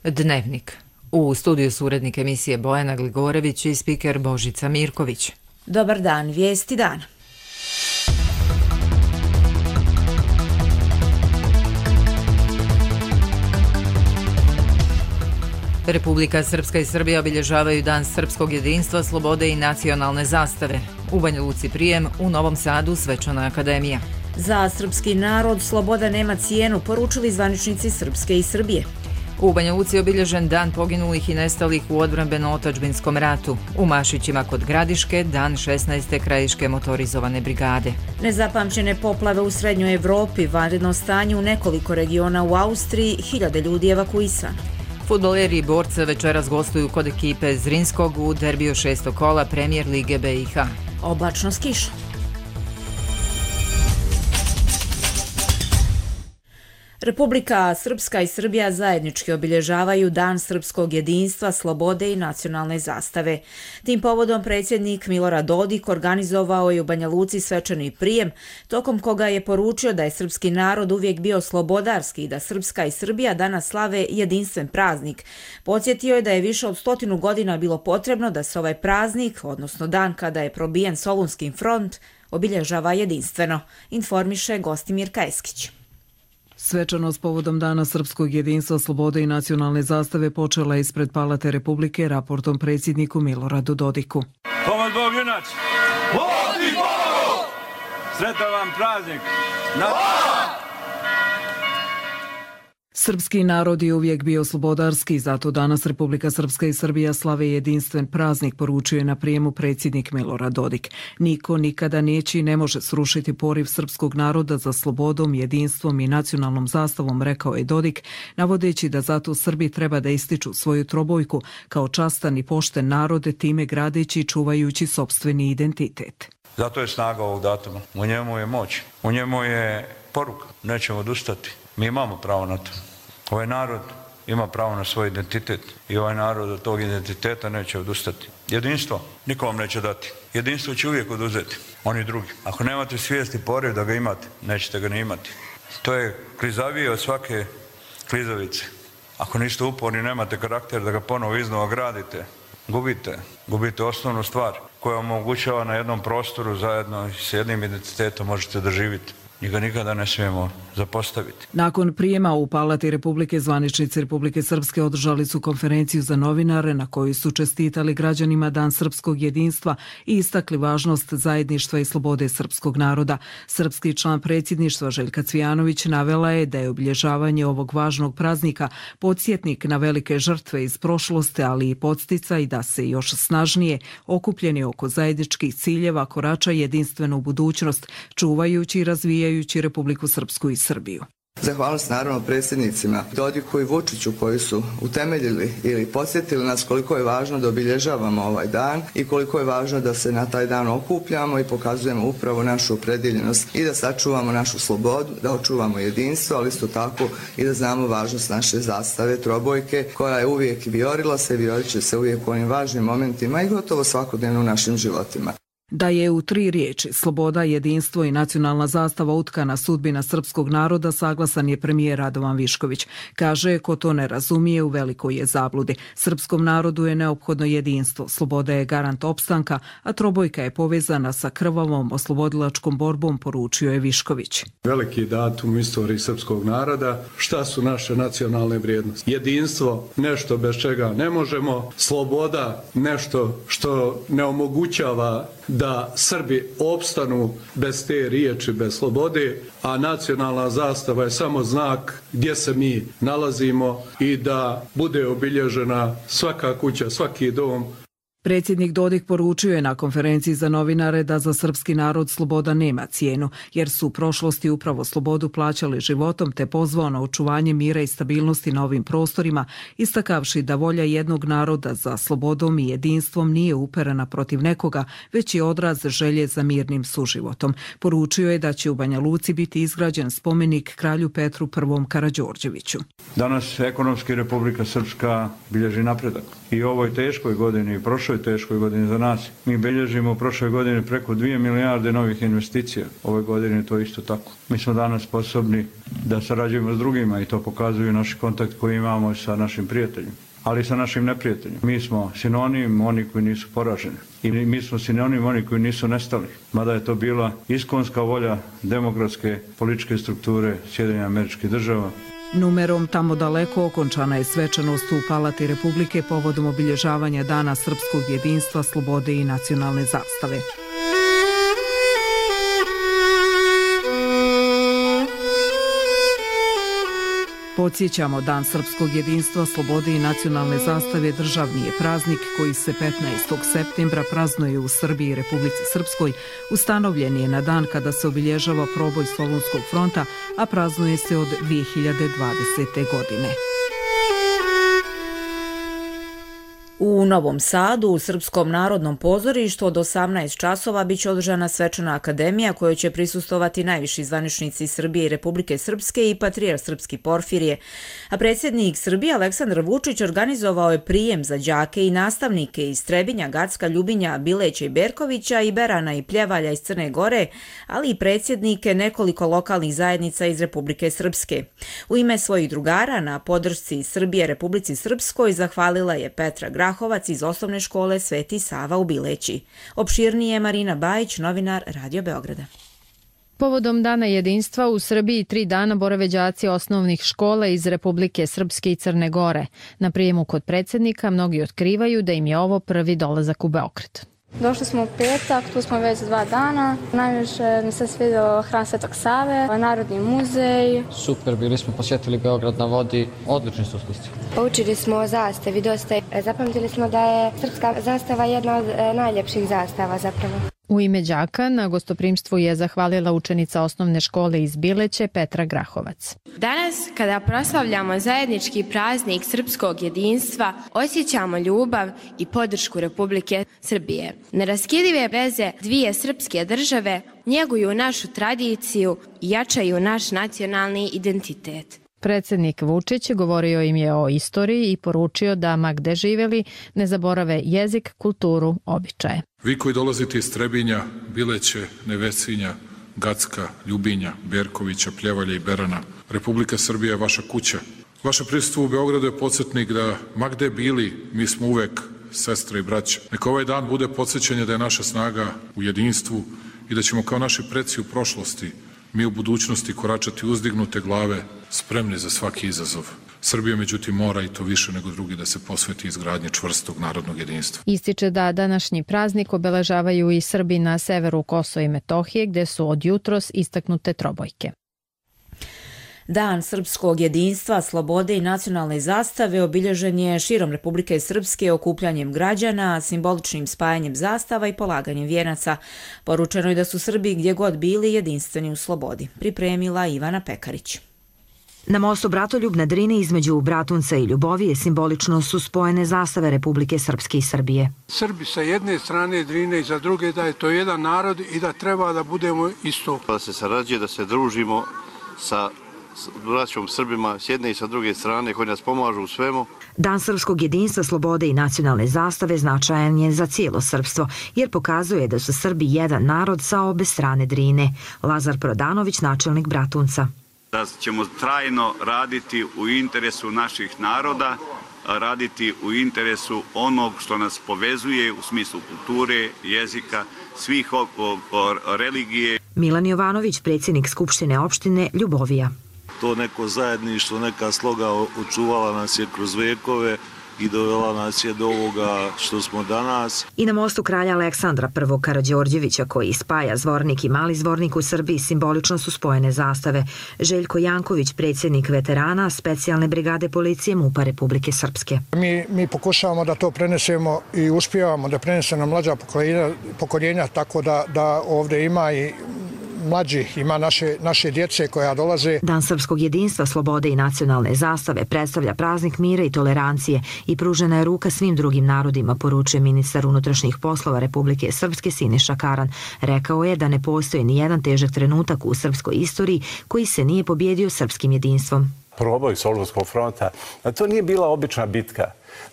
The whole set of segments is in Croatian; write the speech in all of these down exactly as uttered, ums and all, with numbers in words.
Dnevnik. U studiju su urednik emisije Bojana Gligorević i spiker Božica Mirković. Dobar dan, vijesti dana. Republika Srpska i Srbija obilježavaju Dan srpskog jedinstva, slobode i nacionalne zastave. U Banja Luci prijem, u Novom Sadu svečana akademija. Za srpski narod sloboda nema cijenu, poručili zvaničnici Srpske i Srbije. U Banja Luci je obilježen Dan poginulih i nestalih u odbrambeno-otadžbinskom ratu. U Mašićima kod Gradiške Dan šesnaeste krajiške motorizovane brigade. Nezapamćene poplave u Srednjoj Evropi, vanredno stanje u nekoliko regiona u Austriji, hiljade ljudi evakuisano. Fudbaleri i borce večeras gostuju kod ekipe Zrinskog u derbiju šestog kola Premijer Lige B i H. Oblačno s kišom. Republika Srpska i Srbija zajednički obilježavaju Dan srpskog jedinstva, slobode i nacionalne zastave. Tim povodom predsjednik Milorad Dodik organizovao je u Banja Luci svečani prijem, tokom koga je poručio da je srpski narod uvijek bio slobodarski i da Srpska i Srbija danas slave jedinstven praznik. Podsjetio je da je više od stotinu godina bilo potrebno da se ovaj praznik, odnosno dan kada je probijen Solunski front, obilježava jedinstveno, informiše Gostimir Kajeskić. Svečanost povodom Dana srpskog jedinstva, slobode i nacionalne zastave počela ispred Palate Republike raportom predsjedniku Miloradu Dodiku. Pomoć Bog junac! Vodi Bogu! Sretan vam praznik! Na... Srpski narod je uvijek bio slobodarski, zato danas Republika Srpska i Srbija slave jedinstven praznik, poručio je na prijemu predsjednik Milorad Dodik. Niko nikada neće i ne može srušiti poriv srpskog naroda za slobodom, jedinstvom i nacionalnom zastavom, rekao je Dodik, navodeći da zato Srbi treba da ističu svoju trobojku kao častan i pošten narod, time gradeći i čuvajući sopstveni identitet. Zato je snaga ovog datuma. U njemu je moć. U njemu je poruka. Nećemo odustati. Mi imamo pravo na to. Ovaj narod ima pravo na svoj identitet i ovaj narod od tog identiteta neće odustati. Jedinstvo niko vam neće dati. Jedinstvo će uvijek oduzeti. Oni drugi. Ako nemate svijesti poriv da ga imate, nećete ga ni imati. To je klizavije od svake klizavice. Ako niste uporni, nemate karakter da ga ponovo iznova gradite, gubite. Gubite osnovnu stvar koja omogućava na jednom prostoru zajedno s jednim identitetom možete da živite. I ga nikada ne smijemo zapostaviti. Nakon prijema u Palati Republike, zvaničnici Republike Srpske održali su konferenciju za novinare na kojoj su čestitali građanima Dan srpskog jedinstva i istakli važnost zajedništva i slobode srpskog naroda. Srpski član predsjedništva Željka Cvijanović navela je da je obilježavanje ovog važnog praznika podsjetnik na velike žrtve iz prošlosti, ali i podsticaj da se još snažnije okupljeni oko zajedničkih ciljeva korača jedinstvenu budućnost, čuvajući i razvijajući Republiku Srpsku i Srbiju. Zahvalnost naravno predsjednicima Dodiku i Vučiću koji su utemeljili ili podsjetili nas koliko je važno da obilježavamo ovaj dan i koliko je važno da se na taj dan okupljamo i pokazujemo upravo našu opredjeljenost i da sačuvamo našu slobodu, da očuvamo jedinstvo, ali isto tako i da znamo važnost naše zastave, trobojke, koja je uvijek vijorila se i viorit će se uvijek u onim važnim momentima i gotovo svakodnevno u našim životima. Da je u tri riječi sloboda, jedinstvo i nacionalna zastava utkana sudbina srpskog naroda, saglasan je premijer Radovan Višković. Kaže, ko to ne razumije, u velikoj je zabludi. Srpskom narodu je neophodno jedinstvo, sloboda je garant opstanka, a trobojka je povezana sa krvavom oslobodilačkom borbom, poručio je Višković. Veliki datum u istoriji srpskog naroda, šta su naše nacionalne vrijednosti? Jedinstvo, nešto bez čega ne možemo, sloboda, nešto što ne omogućava da Srbi opstanu bez te riječi, bez slobode, a nacionalna zastava je samo znak gdje se mi nalazimo i da bude obilježena svaka kuća, svaki dom. Predsjednik Dodik poručio je na konferenciji za novinare da za srpski narod sloboda nema cijenu, jer su u prošlosti upravo slobodu plaćali životom, te pozvao na očuvanje mira i stabilnosti na ovim prostorima, istakavši da volja jednog naroda za slobodom i jedinstvom nije uperena protiv nekoga, već je odraz želje za mirnim suživotom. Poručio je da će u Banja Luci biti izgrađen spomenik kralju Petru I. Karađorđeviću. Danas ekonomski Republika Srpska bilježi napredak. I u ovoj teškoj godini i prošloj prošloj teškoj godini za nas. Mi bilježimo u prošloj godini preko dvije milijarde novih investicija. Ove godine to isto tako. Mi smo danas sposobni da sarađujemo s drugima i to pokazuju naši kontakt koji imamo sa našim prijateljima, ali i sa našim neprijateljima. Mi smo sinonim oni koji nisu poraženi i mi smo sinonim oni koji nisu nestali. Mada je to bila iskonska volja demokratske političke strukture Sjedinjenih Američkih Država. Numerom tamo daleko okončana je svečanost u Palati Republike povodom obilježavanja Dana srpskog jedinstva, slobode i nacionalne zastave. Podsjećamo, Dan srpskog jedinstva, slobode i nacionalne zastave državni je praznik koji se petnaestog septembra praznuje u Srbiji i Republici Srpskoj. Ustanovljen je na dan kada se obilježava proboj Solunskog fronta, a praznuje se od dvije hiljade dvadesete. godine. U Novom Sadu, u Srpskom narodnom pozorištu od osamnaest časova biće održana svečana akademija kojoj će prisustovati najviši zvaničnici Srbije i Republike Srpske i patrijarh Srpski Porfirije. A predsjednik Srbije Aleksandar Vučić organizovao je prijem za đake i nastavnike iz Trebinja, Gacka, Ljubinja, Bileća i Berkovića i Berana i Pljevalja iz Crne Gore, ali i predsjednike nekoliko lokalnih zajednica iz Republike Srpske. U ime svojih drugara na podršci Srbije Republici Srpskoj zahvalila je Petra Grahovac iz osnovne škole Sveti Sava u Bileći. Opširnije Marina Bajić, novinar Radio Beograda. Povodom Dana jedinstva u Srbiji tri dana borave đaci osnovnih škola iz Republike Srpske i Crne Gore. Na prijemu kod predsjednika mnogi otkrivaju da im je ovo prvi dolazak u Beograd. Došli smo u petak, tu smo već dva dana. Najviše mi se svidio Hram Svetog Save, Narodni muzej. Super, bili smo, posjetili Beograd na vodi, odlični su uslusti. Poučili smo o zastavi dosta. Zapamtili smo da je srpska zastava jedna od najljepših zastava zapravo. U ime đaka na gostoprimstvu je zahvalila učenica osnovne škole iz Bileće Petra Grahovac. Danas, kada proslavljamo zajednički praznik srpskog jedinstva, osjećamo ljubav i podršku Republike Srbije. Neraskidive veze dvije srpske države njeguju našu tradiciju i jačaju naš nacionalni identitet. Predsjednik Vučić govorio im je o istoriji i poručio da ma gde živeli ne zaborave jezik, kulturu, običaje. Vi koji dolazite iz Trebinja, Bileće, Nevesinja, Gacka, Ljubinja, Berkovića, Pljevalja i Berana, Republika Srbija je vaša kuća. Vaše prisustvo u Beogradu je podsjetnik da ma gde bili, mi smo uvek sestre i braće. Neka ovaj dan bude podsjećanje da je naša snaga u jedinstvu i da ćemo kao naši preci u prošlosti mi u budućnosti koračati uzdignute glave, spremni za svaki izazov. Srbija, međutim, mora i to više nego drugi da se posveti izgradnji čvrstog narodnog jedinstva. Ističe da današnji praznik obeležavaju i Srbi na severu Kosova i Metohije, gde su od jutros istaknute trobojke. Dan srpskog jedinstva, slobode i nacionalne zastave obilježen je širom Republike Srpske okupljanjem građana, simboličnim spajanjem zastava i polaganjem vijenaca. Poručeno je da su Srbi gdje god bili jedinstveni u slobodi. Pripremila Ivana Pekarić. Na mostu Bratoljub na Drini između Bratunca i Ljubovije simbolično su spojene zastave Republike Srpske i Srbije. Srbi sa jedne strane Drine i za druge da je to jedan narod i da treba da budemo isto. Da se sarađuje, da se družimo sa braćom Srbima s jedne i sa druge strane koji nas pomažu u svemu. Dan srpskog jedinstva, slobode i nacionalne zastave značajan je za cijelo srpstvo, jer pokazuje da su Srbi jedan narod sa obe strane Drine. Lazar Prodanović, načelnik Bratunca. Da ćemo trajno raditi u interesu naših naroda, raditi u interesu onog što nas povezuje u smislu kulture, jezika, svih religije. Milan Jovanović, predsjednik Skupštine opštine Ljubovija. To neko zajedništvo, neka sloga očuvala nas je kroz vekove i dovela nas je do ovoga što smo danas. I na mostu kralja Aleksandra prvog Karađorđevića koji spaja Zvornik i Mali Zvornik u Srbiji simbolično su spojene zastave. Željko Janković, predsjednik veterana specijalne brigade policije MUP-a Republike Srpske. Mi, mi pokušavamo da to prenesemo i uspijevamo da prenesemo mlađa pokoljenja, pokoljenja tako da, da ovdje ima i mlađih, ima naše, naše djece koja dolaze. Dan srpskog jedinstva, slobode i nacionalne zastave predstavlja praznik mira i tolerancije i pružena je ruka svim drugim narodima, poručuje ministar unutrašnjih poslova Republike Srpske Siniša Karan. Rekao je da ne postoji ni jedan težak trenutak u srpskoj istoriji koji se nije pobjedio srpskim jedinstvom. proboj Solunskog fronta. A to nije bila obična bitka.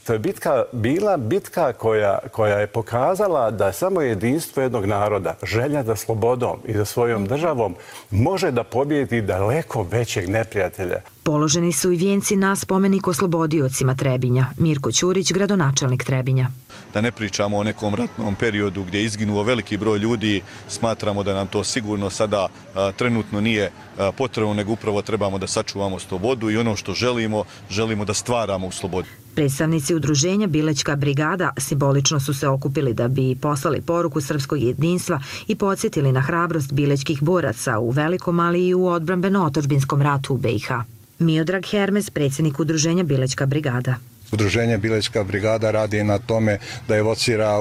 To je bitka, bila bitka koja, koja je pokazala da samo jedinstvo jednog naroda, želja da slobodom i za svojom državom može da pobjedi daleko većeg neprijatelja. Položeni su i vijenci na spomenik oslobodiocima Trebinja. Mirko Ćurić, gradonačelnik Trebinja. Da ne pričamo o nekom ratnom periodu gdje je izginuo veliki broj ljudi, smatramo da nam to sigurno sada a, trenutno nije a, potrebno, nego upravo trebamo da sačuvamo slobodu i ono što želimo, želimo da stvaramo u slobodi. Predstavnici udruženja Bilećka brigada simbolično su se okupili da bi poslali poruku srpskog jedinstva i podsjetili na hrabrost bilećkih boraca u velikom, ali i u odbrambeno-otadžbinskom ratu u B i H. Miodrag Hermes, predsjednik udruženja Bilećka brigada. Udruženje Bilećka brigada radi na tome da evocira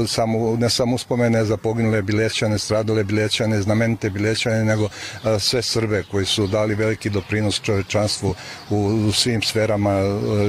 samo, ne samo uspomene za poginule Bilećane, stradale Bilećane, znamenite Bilećane, nego sve Srbe koji su dali veliki doprinos čovječanstvu u svim sferama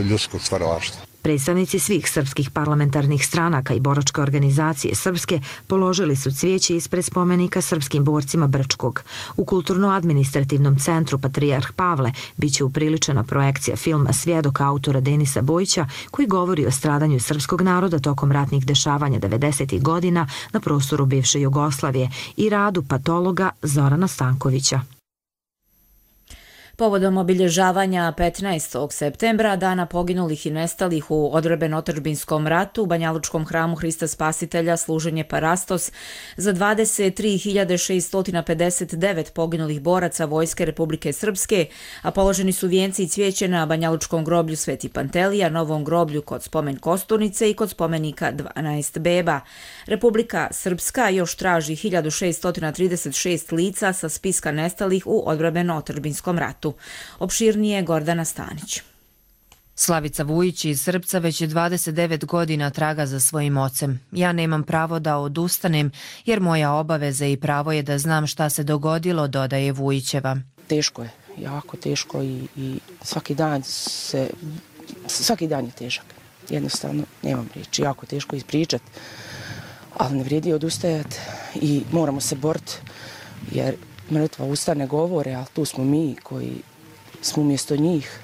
ljudskog stvaralaštva. Predstavnici svih srpskih parlamentarnih stranaka i boračke organizacije Srpske položili su cvijeće ispred spomenika srpskim borcima Brčkog. U Kulturno-administrativnom centru Patrijarh Pavle biće upriličena projekcija filma Svjedok autora Denisa Bojića koji govori o stradanju srpskog naroda tokom ratnih dešavanja devedesetih godina na prostoru bivše Jugoslavije i radu patologa Zorana Stankovića. Povodom obilježavanja petnaestog septembra, dana poginulih i nestalih u odbrambeno-otadžbinskom ratu, u Banjalučkom hramu Hrista Spasitelja služen je parastos za dvadeset tri hiljade šesto pedeset devet poginulih boraca Vojske Republike Srpske, a položeni su vijenci i cvijeće na Banjalučkom groblju Sveti Pantelija, Novom groblju kod spomen Kosturnice i kod spomenika dvanaest beba. Republika Srpska još traži hiljadu šesto trideset šest lica sa spiska nestalih u odbrambeno-otadžbinskom ratu. Opširnije Gordana Stanić. Slavica Vujić iz Srpca već je dvadeset devet godina traga za svojim ocem. Ja nemam pravo da odustanem jer moja obaveza i pravo je da znam šta se dogodilo, dodaje Vujićeva. Teško je, jako teško i, i svaki dan se, svaki dan je težak. Jednostavno nemam riječi, jako teško ispričati, ali ne vrijedi odustajati i moramo se boriti jer mrtva usta ne govore, ali tu smo mi koji smo umjesto njih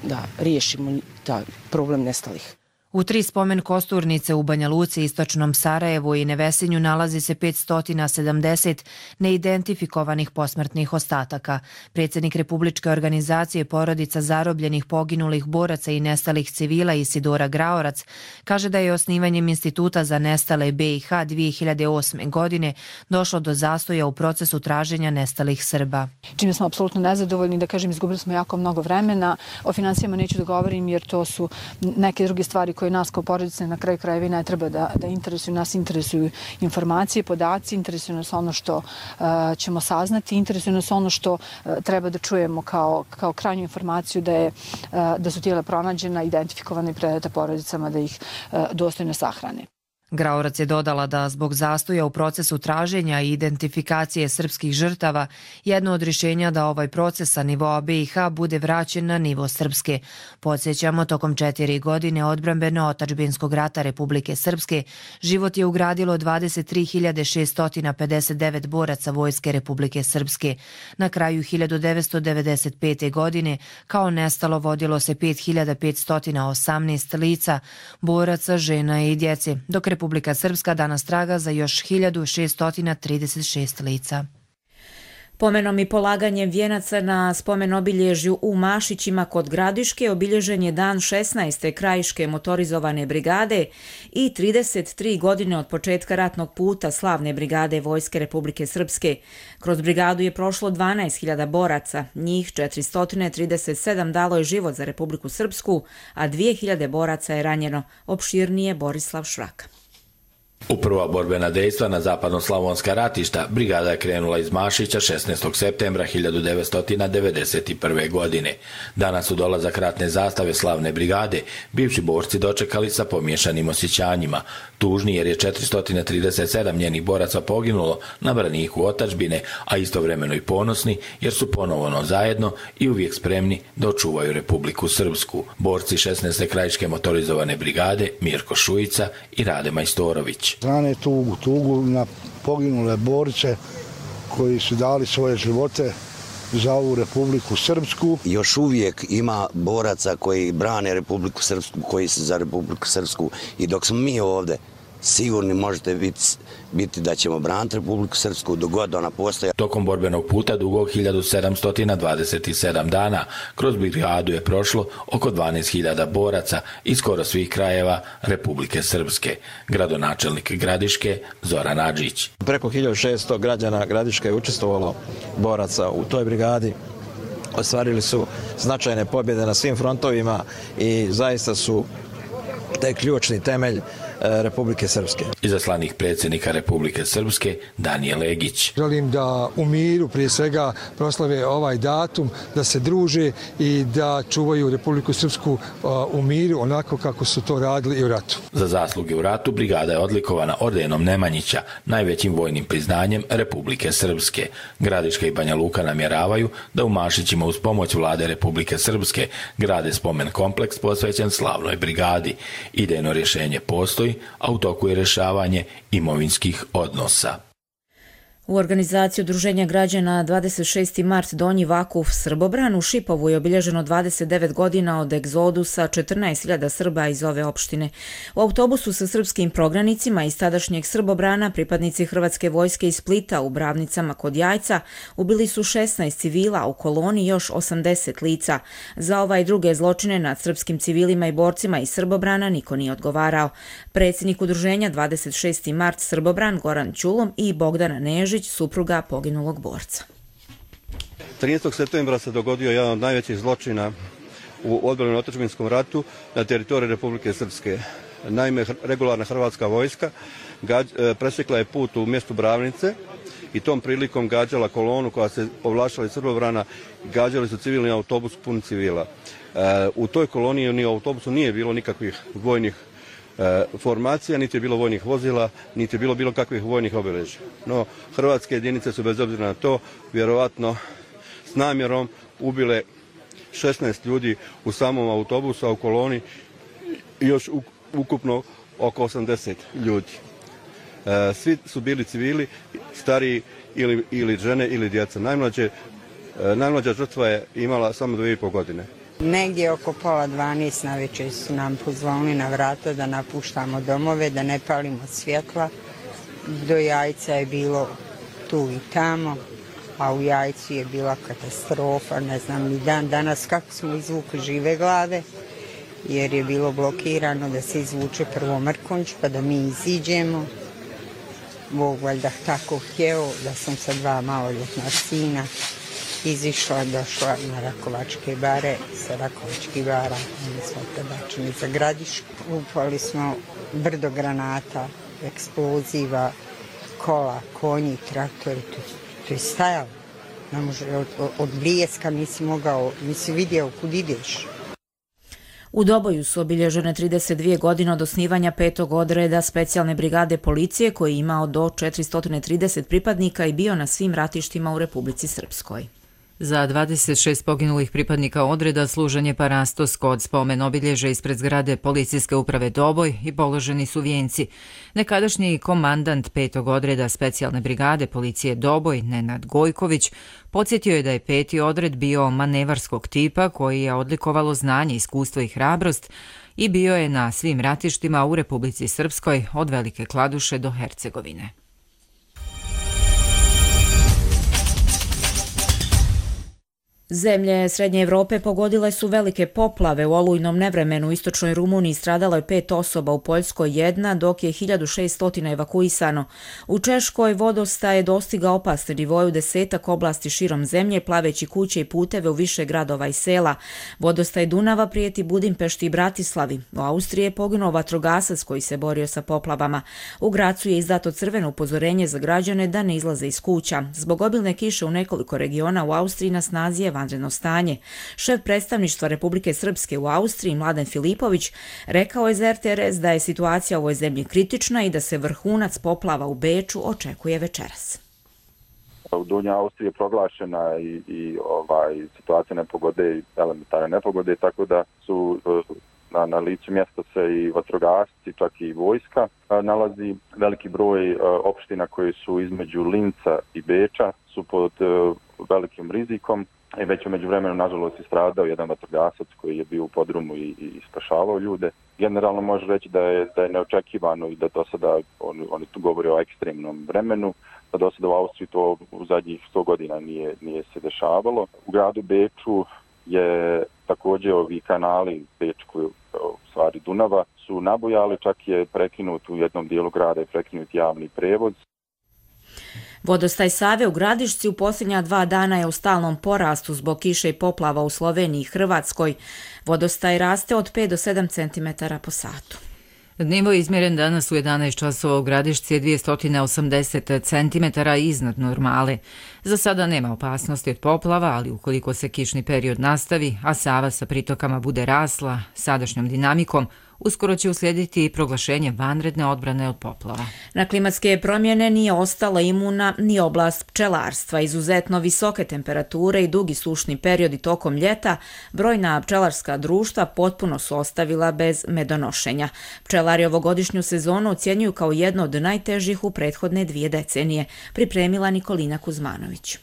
da riješimo taj problem nestalih. U tri spomen Kosturnice u Banja Luci, istočnom Sarajevu i Nevesinju nalazi se petsto sedamdeset neidentifikovanih posmrtnih ostataka. Predsjednik Republičke organizacije porodica zarobljenih, poginulih boraca i nestalih civila Isidora Graorac kaže da je osnivanjem Instituta za nestale B i H dvije hiljade osme. godine došlo do zastoja u procesu traženja nestalih Srba. Čime smo apsolutno nezadovoljni, da kažem, izgubili smo jako mnogo vremena. O financijama neću da govorim jer to su neke druge stvari koje nas kao porodice na kraju krajeva ne treba da, da interesuju. Nas interesuju informacije, podaci, interesuju nas ono što uh, ćemo saznati, interesuju nas ono što uh, treba da čujemo kao, kao krajnju informaciju da, je, uh, da su tijela pronađena, identifikovane i predata porodicama da ih uh, dostojno sahrane. Graorac je dodala da zbog zastoja u procesu traženja i identifikacije srpskih žrtava jedno od rješenja da ovaj proces sa nivoa B i H bude vraćen na nivo Srpske. Podsjećamo, tokom četiri godine odbrambeno-otadžbinskog rata Republike Srpske život je ugradilo dvadeset tri hiljade šesto pedeset devet boraca Vojske Republike Srpske. Na kraju hiljadu devetsto devedeset pete. godine kao nestalo vodilo se pet hiljada petsto osamnaest lica, boraca, žena i djece, dok Republika Srpska danas traga za još hiljadu šesto trideset šest lica. Pomenom i polaganjem vijenaca na spomen obilježju u Mašićima kod Gradiške obilježen je dan šesnaeste krajiške motorizovane brigade i trideset tri godine od početka ratnog puta slavne brigade Vojske Republike Srpske. Kroz brigadu je prošlo dvanaest hiljada boraca, njih četiristo trideset sedam dalo je život za Republiku Srpsku, a dvije hiljade boraca je ranjeno. Opširnije Borislav Švraka. U prva borbena dejstva na zapadno-slavonska ratišta brigada je krenula iz Mašića šesnaestog septembra hiljadu devetsto devedeset prve. godine. Danas su dolazak ratne zastave slavne brigade bivši borci dočekali sa pomiješanim osjećanjima. Tužni jer je četiristo trideset sedam njenih boraca poginulo na braniku otadžbine, a istovremeno i ponosni jer su ponovno zajedno i uvijek spremni da očuvaju Republiku Srpsku. Borci šesnaeste krajiške motorizovane brigade Mirko Šujica i Rade Majstorović. Strane tugu, tugu na poginule borce koji su dali svoje živote za ovu Republiku Srpsku. Još uvijek ima boraca koji brane Republiku Srpsku, koji su za Republiku Srpsku i dok smo mi ovdje, sigurni možete biti, biti da ćemo braniti Republiku Srpsku dok god ona postoji. Tokom borbenog puta dugog hiljadu sedamsto dvadeset sedam dana kroz brigadu je prošlo oko dvanaest hiljada boraca iz skoro svih krajeva Republike Srpske. Gradonačelnik Gradiške Zoran Adžić. Preko hiljadu šesto građana Gradiške je učestvovalo boraca u toj brigadi. Ostvarili su značajne pobjede na svim frontovima i zaista su taj ključni temelj Republike Srpske. Izaslanik predsjednika Republike Srpske Danijel Egić. Želim da u miru prije svega proslave ovaj datum, da se druže i da čuvaju Republiku Srpsku u miru onako kako su to radili i u ratu. Za zasluge u ratu brigada je odlikovana ordenom Nemanjića, najvećim vojnim priznanjem Republike Srpske. Gradiška i Banja Luka namjeravaju da u Mašićima uz pomoć vlade Republike Srpske grade spomen kompleks posvećen slavnoj brigadi. Idejno rješenje postoji, a u toku je rješavanje imovinskih odnosa. U organizaciji Udruženja građana dvadeset šesti mart Donji Vakuf Srbobran u Šipovu je obilježeno dvadeset devet godina od egzodusa četrnaest hiljada Srba iz ove opštine. U autobusu sa srpskim prognanicima iz tadašnjeg Srbobrana pripadnici Hrvatske vojske iz Splita u Bravnicama kod Jajca ubili su šesnaest civila, u koloni još osamdeset lica. Za ovaj druge zločine nad srpskim civilima i borcima iz Srbobrana niko nije odgovarao. Predsjednik Udruženja dvadeset šesti mart Srbobran Goran Ćulom i Bogdana Nežić, supruga poginulog borca. trinaestog septembra se dogodio jedan od najvećih zločina u odbrambenom otadžbinskom ratu na teritoriji Republike Srpske. Naime, regularna hrvatska vojska presjekla je put u mjestu Bravnice i tom prilikom gađala kolonu koja se povlačila iz Srbobrana, gađali su civilni autobus pun civila. U toj koloni ni u autobusu nije bilo nikakvih vojnih formacija, niti je bilo vojnih vozila, niti je bilo bilo kakvih vojnih obilježja. No, hrvatske jedinice su bez obzira na to vjerovatno s namjerom ubile šesnaest ljudi u samom autobusu, a u koloni još ukupno oko osamdeset ljudi. Svi su bili civili, stariji ili, ili žene ili djeca. Najmlađe, najmlađa žrtva je imala samo dvije i pol godine. Negdje oko pola dvanaest na večer su nam pozvali na vrata da napuštamo domove, da ne palimo svjetla. Do Jajca je bilo tu i tamo, a u Jajcu je bila katastrofa, ne znam ni dan danas kako smo izvukli žive glave, jer je bilo blokirano da se izvuče prvo Mrkonjić pa da mi iziđemo. Bog valjda tako htjeo da sam sa dva maloljetna sina izišla, došla na Rakovačke bare, sa Rakovačkih bara, mi smo prebačeni za Gradišku. Upali smo brdo granata, eksploziva, kola, konji, traktori, to, to je stajalo. Ne može, od, od blijeska nisi mogao, nisi vidio kud ideš. U Doboju su obilježene trideset dvije godine od osnivanja petog odreda specijalne brigade policije koji je imao do četiristo trideset pripadnika i bio na svim ratištima u Republici Srpskoj. Za dvadeset šest poginulih pripadnika odreda služen je parastos kod spomen obilježja ispred zgrade policijske uprave Doboj i položeni su vijenci. Nekadašnji komandant petog odreda specijalne brigade policije Doboj, Nenad Gojković, podsjetio je da je peti odred bio manevarskog tipa koji je odlikovalo znanje, iskustvo i hrabrost i bio je na svim ratištima u Republici Srpskoj od Velike Kladuše do Hercegovine. Zemlje Srednje Evrope pogodile su velike poplave. U olujnom nevremenu u istočnoj Rumuniji stradalo je pet osoba, u Poljskoj jedna, dok je hiljadu šesto evakuisano. U Češkoj vodostaj je dostigao opasne nivoje u desetak oblasti širom zemlje, plaveći kuće i puteve u više gradova i sela. Vodostaj Dunava prijeti Budimpešti i Bratislavi. U Austriji je poginuo vatrogasac koji se borio sa poplavama. U Gracu je izdato crveno upozorenje za građane da ne izlaze iz kuća. Zbog obilne kiše u nekoliko regiona u Austriji na snazi je vanredno stanje. Šef predstavništva Republike Srpske u Austriji, Mladen Filipović, rekao je za er te er es da je situacija u ovoj zemlji kritična i da se vrhunac poplava u Beču očekuje večeras. U Donjoj Austriji je proglašena i, i ovaj, situacija nepogode i elementarne nepogode, tako da su na, na licu mjesta se i vatrogasci, čak i vojska. Nalazi veliki broj opština koje su između Linca i Beča, su pod velikim rizikom. I već u međuvremenu, nažalost, istradao jedan vatrogasac koji je bio u podrumu i, i spašavao ljude. Generalno može reći da je, da je neočekivano i da do sada, oni, oni tu govore o ekstremnom vremenu, da do sada u Austriji to u zadnjih sto godina nije, nije se dešavalo. U gradu Beču je također ovi kanali Bečku, u stvari Dunava, su nabujali, čak je prekinut u jednom dijelu grada, je prekinut javni prevoz. Vodostaj Save u Gradišci u posljednja dva dana je u stalnom porastu zbog kiše i poplava u Sloveniji i Hrvatskoj. Vodostaj raste od pet do sedam centimetara po satu. Nivo izmjeren danas u jedanaest časova u Gradišci je dvjesto osamdeset centimetara iznad normale. Za sada nema opasnosti od poplava, ali ukoliko se kišni period nastavi, a Sava sa pritokama bude rasla sadašnjom dinamikom, uskoro će uslijediti i proglašenje vanredne odbrane od poplava. Na klimatske promjene nije ostala imuna ni oblast pčelarstva. Izuzetno visoke temperature i dugi sušni periodi tokom ljeta brojna pčelarska društva potpuno su ostavila bez medonošenja. Pčelari ovogodišnju sezonu ocjenjuju kao jedno od najtežih u prethodne dvije decenije, pripremila Nikolina Kuzmanović.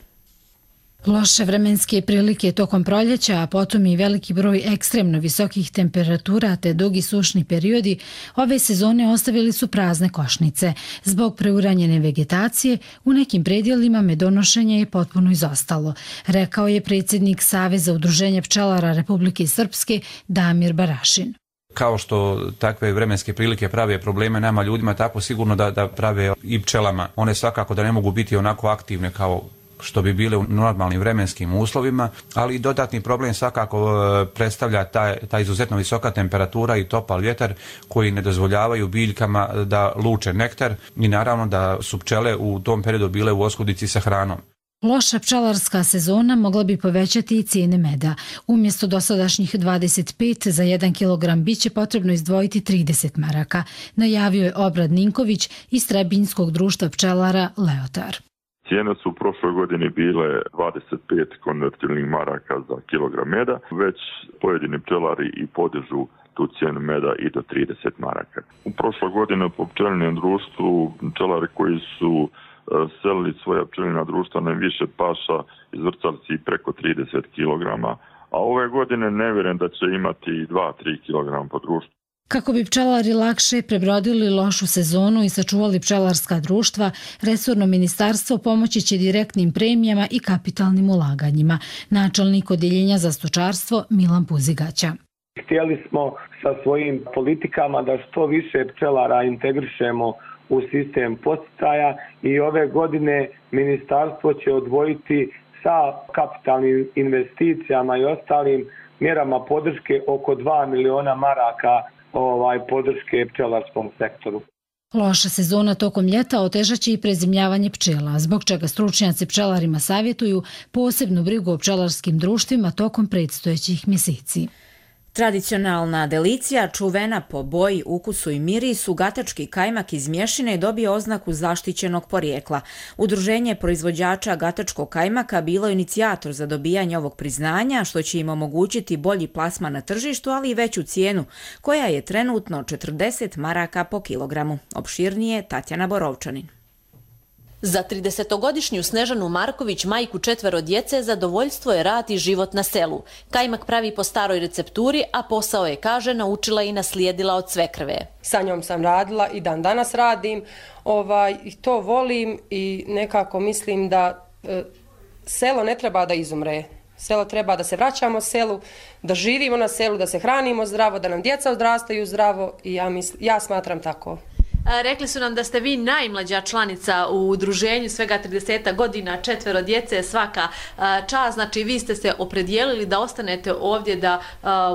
Loše vremenske prilike tokom proljeća, a potom i veliki broj ekstremno visokih temperatura te dugi sušni periodi, ove sezone ostavili su prazne košnice. Zbog preuranjene vegetacije, u nekim predjelima medonošenje je potpuno izostalo, rekao je predsjednik Saveza udruženja pčelara Republike Srpske Damir Barašin. Kao što takve vremenske prilike prave probleme nama ljudima, tako sigurno da, da prave i pčelama. One svakako da ne mogu biti onako aktivne kao što bi bile u normalnim vremenskim uslovima, ali dodatni problem svakako predstavlja ta, ta izuzetno visoka temperatura i topal vjetar koji ne dozvoljavaju biljkama da luče nektar i naravno da su pčele u tom periodu bile u oskudici sa hranom. Loša pčelarska sezona mogla bi povećati i cijene meda. Umjesto dosadašnjih dvadeset pet za jedan kilogram biće potrebno izdvojiti trideset maraka, najavio je Obrad Ninković iz Trebinjskog društva pčelara Leotar. Cijene su u prošloj godini bile dvadeset pet konvertibilnih maraka za kilogram meda, već pojedini pčelari i podižu tu cijenu meda i do trideset maraka. U prošloj godini po pčelinom društvu pčelari koji su selili svoja pčelina društva na više paša izvrcali si preko trideset kilograma, a ove godine ne vjerujem da će imati dva do tri kilograma po društvu. Kako bi pčelari lakše prebrodili lošu sezonu i sačuvali pčelarska društva, resorno ministarstvo pomoći će direktnim premijama i kapitalnim ulaganjima. Načelnik odjeljenja za stočarstvo Milan Puzigaća. Htjeli smo sa svojim politikama da što više pčelara integrišemo u sistem podsticaja i ove godine ministarstvo će odvojiti sa kapitalnim investicijama i ostalim mjerama podrške oko dva miliona maraka ovaj podrške pčelarskom sektoru. Loša sezona tokom ljeta otežaće i prezimljavanje pčela, zbog čega stručnjaci pčelarima savjetuju posebnu brigu o pčelarskim društvima tokom predstojećih mjeseci. Tradicionalna delicija, čuvena po boji, ukusu i mirisu, gatački kajmak iz mješine dobije oznaku zaštićenog porijekla. Udruženje proizvođača gatačkog kajmaka bilo je inicijator za dobijanje ovog priznanja, što će im omogućiti bolji plasman na tržištu, ali i veću cijenu, koja je trenutno četrdeset maraka po kilogramu. Opširnije Tatjana Borovčanin. Za tridesetogodišnju Snežanu Marković, majku četvero djece, zadovoljstvo je rad i život na selu. Kajmak pravi po staroj recepturi, a posao je, kaže, naučila i naslijedila od svekrve. Sa njom sam radila i dan danas radim, ovaj, i to volim i nekako mislim da e, selo ne treba da izumre. Selo treba da se vraćamo selu, da živimo na selu, da se hranimo zdravo, da nam djeca odrastaju zdravo i ja, misl, ja smatram tako. Rekli su nam da ste vi najmlađa članica u udruženju, svega trideset godina, četvero djece, svaka čast. Znači, vi ste se opredijelili da ostanete ovdje, da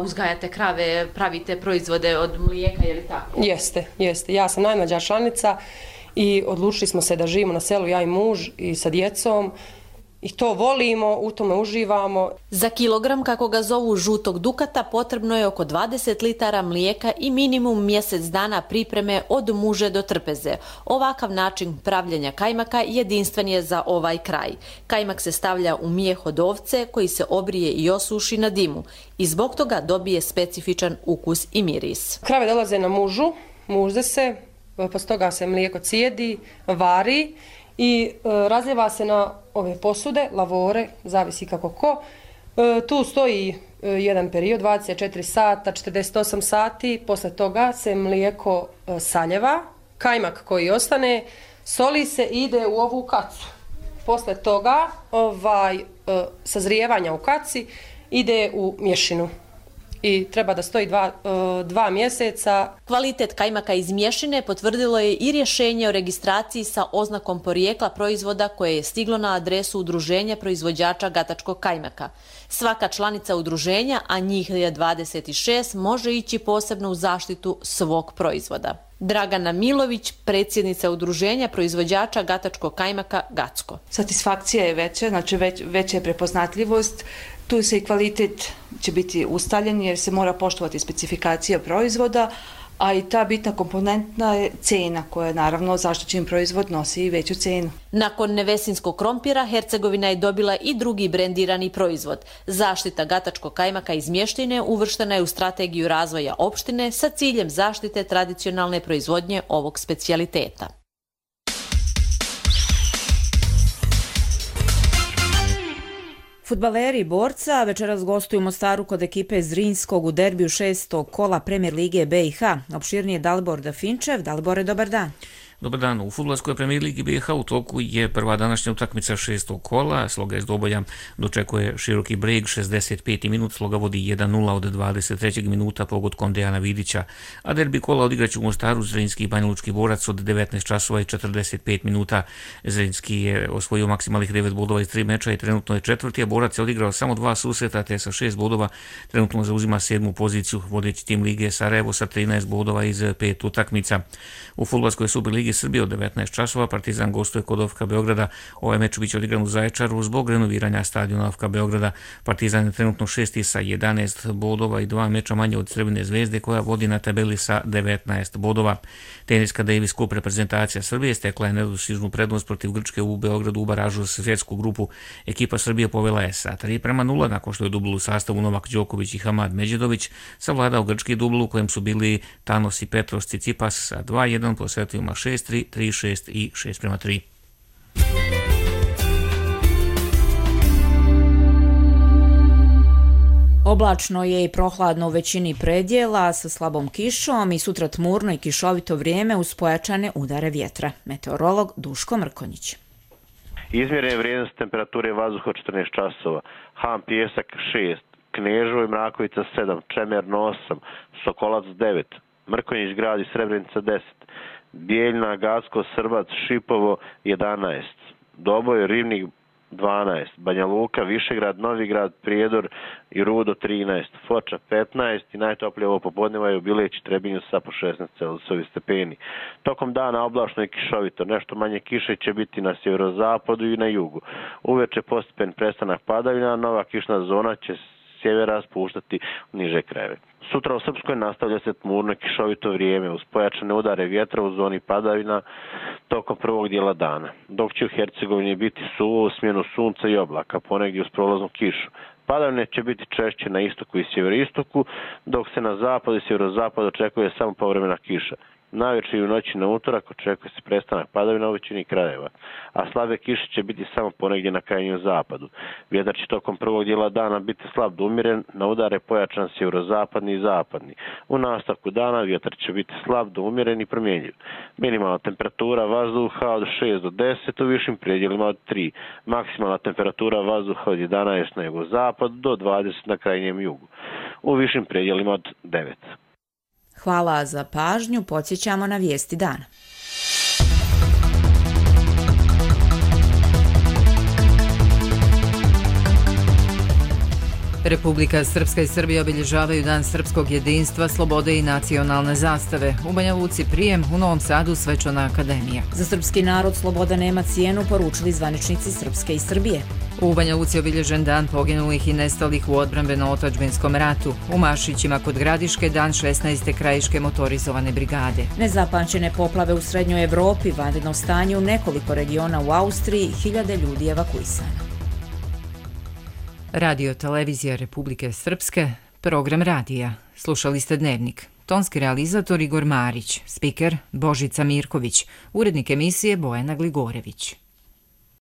uzgajate krave, pravite proizvode od mlijeka, je li tako? Jeste, jeste. Ja sam najmlađa članica i odlučili smo se da živimo na selu, ja i muž i sa djecom. I to volimo, u tome uživamo. Za kilogram, kako ga zovu, žutog dukata potrebno je oko dvadeset litara mlijeka i minimum mjesec dana pripreme od muže do trpeze. Ovakav način pravljenja kajmaka jedinstven je za ovaj kraj. Kajmak se stavlja u mijeh od ovce koji se obrije i osuši na dimu i zbog toga dobije specifičan ukus i miris. Krave dolaze na mužu, mužde se, posle toga se mlijeko cijedi, vari i razljeva se na ove posude, lavore, zavisi kako ko. Tu stoji jedan period, dvadeset četiri sata, četrdeset osam sati, posle toga se mlijeko saljeva, kajmak koji ostane, soli se i ide u ovu kacu. Posle toga, ovaj, sazrijevanja u kaci, ide u mješinu i treba da stoji dva, dva mjeseca. Kvalitet kajmaka iz mješine potvrdilo je i rješenje o registraciji sa oznakom porijekla proizvoda koje je stiglo na adresu Udruženja proizvođača gatačkog kajmaka. Svaka članica udruženja, a njih je dvadeset šest, može ići posebno u zaštitu svog proizvoda. Dragana Milović, predsjednica Udruženja proizvođača gatačkog kajmaka Gacko. Satisfakcija je veća, znači već, veća je prepoznatljivost. Tu se i kvalitet će biti ustaljen jer se mora poštovati specifikacija proizvoda, a i ta bitna komponentna je cena koja naravno zaštićen proizvod nosi i veću cenu. Nakon nevesinskog krompira, Hercegovina je dobila i drugi brendirani proizvod. Zaštita gatačkog kajmaka iz mještine uvrštena je u strategiju razvoja opštine sa ciljem zaštite tradicionalne proizvodnje ovog specijaliteta. Fudbaleri Borca večeras gostuju u Mostaru kod ekipe Zrinskog u derbiju šestog kola Premier Lige B i H. Opširnije Dalibor Dafinčev. Dalibore, dobar dan. Dobar dan. U fudbalskoj Premier Ligi B i H u toku je prva današnja utakmica šestog kola. Sloga iz Doboja dočekuje Široki Breg, šezdeset peti minut, Sloga vodi jedan nula od dvadeset trećeg minuta pogodkom Dejana Vidića, a derbi kola odigraće u Mostaru Zrinski i Banja Lučki Borac od devetnaest časova i četrdeset pet minuta. Zrinski je osvojio maksimalnih devet bodova iz tri meča i trenutno je četvrti, a Borac je odigrao samo dva susreta te sa šest bodova trenutno zauzima sedmu poziciju. Vodeći tim lige Sarajevo sa trinaest bodova iz pet utakmica. U fudbalskoj Superligi Srbije od devetnaest časova Partizan gostuje kod O F K Beograda. Ovaj meč biće odigran u Zaječaru zbog renoviranja stadiona O F K Beograda. Partizan je trenutno šesti sa jedanaest bodova i dva meča manje od Crvene zvezde koja vodi na tabeli sa devetnaest bodova. Teniska Davis Cup reprezentacija Srbije stekla je nedostižnu prednost protiv Grčke u Beogradu u baražu za svjetsku grupu. Ekipa Srbije povela je sa tri prema nula nakon što je dublu u sastavu Novak Đoković i Hamad Međedović savladao grčki dublu u kojem su bili Tanos i Petros Tsitsipas sa dva jedan po setovima šest tri, tri šest i šest prema tri. Oblačno je i prohladno u većini predjela sa slabom kišom i sutra tmurno i kišovito vrijeme uz pojačane udare vjetra. Meteorolog Duško Mrkonjić. Izmjerene vrijednosti temperature vazduha četrnaest časova, Han Pijesak šest, Kneževo i Mrakovica sedam, Čemerno osam, Sokolac devet, Mrkonjić grad i Srebrenica deset, Bijeljna, Gacko, Srbac, Šipovo jedanaest, Doboj, Rivnik dvanaest, Banja Luka, Višegrad, Novigrad, Prijedor i Rudo trinaest, Foča petnaest i najtoplije ovo popodneva je u Bileć i Trebinju sa po šesnaest Celzijusovi stepeni. Tokom dana oblačno i kišovito, nešto manje kiše će biti na sjeverozapadu i na jugu. Uveče postepen prestanak padavina, nova kišna zona će sjevera spuštati u niže krajeve. Sutra u Srpskoj nastavlja se tmurno i kišovito vrijeme uz pojačane udare vjetra u zoni padavina tokom prvog dijela dana, dok će u Hercegovini biti suvo u smjenu sunca i oblaka, ponegdje uz prolaznu kišu. Padavine će biti češće na istoku i sjeveroistoku, dok se na zapadu i sjeverozapadu očekuje samo povremena kiša. Navečer i u noći na utorak očekuje se prestanak padavina u većini krajeva, a slabe kiše će biti samo ponegdje na krajnjem zapadu. Vjetar će tokom prvog dijela dana biti slab do umiren, na udare pojačan sjeverozapadni i zapadni. U nastavku dana vjetar će biti slab do umiren i promjenjiv. Minimalna temperatura vazduha od šest do deset, u višim predjelima od tri. Maksimalna temperatura vazduha od jedanaest na jugozapadu do dvadeset na krajnjem jugu. U višim predjelima od devet. Hvala za pažnju, podsjećamo na vijesti dana. Republika Srpska i Srbija obilježavaju Dan srpskog jedinstva, slobode i nacionalne zastave. U Banja Luci prijem, u Novom Sadu svečana akademija. Za srpski narod sloboda nema cijenu, poručili zvaničnici Srpske i Srbije. U Banja Luci je obilježen dan poginulih i nestalih u odbrambeno-otadžbinskom ratu. U Mašićima kod Gradiške dan šesnaeste krajiške motorizovane brigade. Nezapamćene poplave u Srednjoj Evropi, vanredno stanje u nekoliko regiona u Austriji, hiljade ljudi evakuisano. Radio Televizija Republike Srpske, program radija. Slušali ste Dnevnik. Tonski realizator Igor Marić, spiker Božica Mirković, urednik emisije Bojana Gligorević.